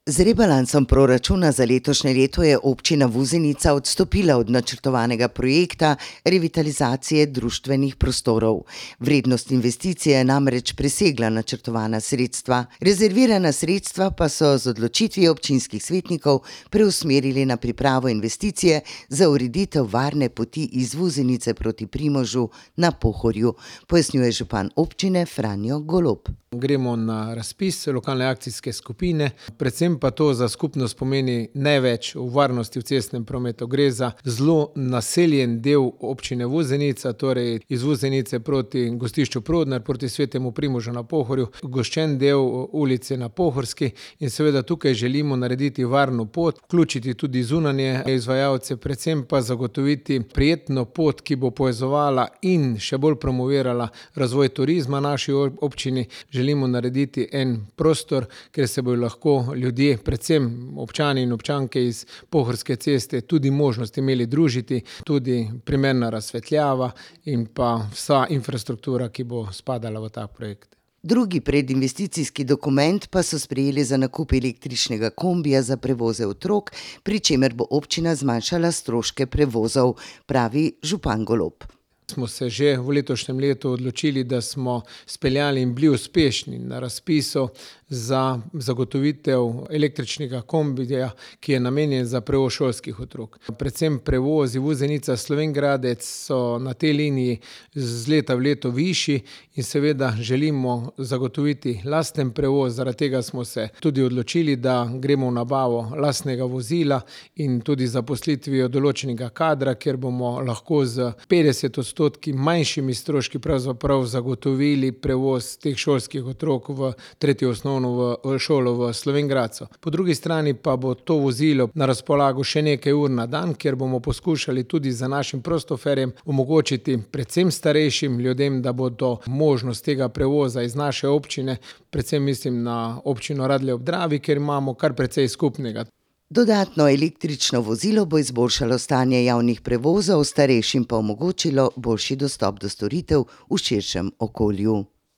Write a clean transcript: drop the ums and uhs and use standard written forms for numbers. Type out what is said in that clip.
Z rebalansom proračuna za letošnje leto je občina Vuzenica odstopila od načrtovanega projekta revitalizacije društvenih prostorov. Vrednost investicije je namreč presegla načrtovana sredstva. Rezervirana sredstva pa so z odločitvijo občinskih svetnikov preusmerili na pripravo investicije za ureditev varne poti iz Vuzenice proti Primožu na Pohorju, pojasnjuje župan občine Franjo Golob. Gremo na razpis lokalne akcijske skupine, predvsem pa to za skupnost pomeni največ v varnosti v cestnem prometu. Gre za zelo naseljen del občine Vuzenica, torej iz Vuzenice proti Gostišču Prodnar, proti Svetemu Primožu na Pohorju, goščen del ulice na Pohorski in seveda tukaj želimo narediti varno pot, vključiti tudi zunanje izvajalce, predvsem pa zagotoviti prijetno pot, ki bo povezovala in še bolj promovirala razvoj turizma naši občini. Želimo narediti en prostor, kjer se bodo lahko ljudje, predvsem občani in občanke iz Pohorske ceste, tudi možnost imeli družiti, tudi primerna razsvetljava in pa vsa infrastruktura, ki bo spadala v ta projekt. Drugi predinvesticijski dokument pa so sprejeli za nakup električnega kombija za prevoze otrok, pri čemer bo občina zmanjšala stroške prevozov, pravi župan Golob. Smo se že v letošnjem letu odločili, da smo speljali in bili uspešni na razpisu za zagotovitev električnega kombija, ki je namenjen za prevoz šolskih otrok. Predvsem prevozi Vuzenica-Slovenj Gradec so na tej liniji z leta v leto višji in seveda želimo zagotoviti lasten prevoz. Zaradi tega smo se tudi odločili, da gremo v nabavo lastnega vozila in tudi zaposlitvijo določenega kadra, kjer bomo lahko z 50% manjšimi stroški pravzaprav zagotovili prevoz teh šolskih otrok v tretjo osnovno v šolo v Slovenj Gradcu. Po drugi strani pa bo to vozilo na razpolago še nekaj ur na dan, kjer bomo poskušali tudi za našim prostoferjem omogočiti predvsem starejšim ljudem, da bodo možnost tega prevoza iz naše občine, predvsem mislim na občino Radlje ob Dravi, kjer imamo kar precej skupnega. Dodatno električno vozilo bo izboljšalo stanje javnih prevozov, starejšim pa omogočilo boljši dostop do storitev v širšem okolju.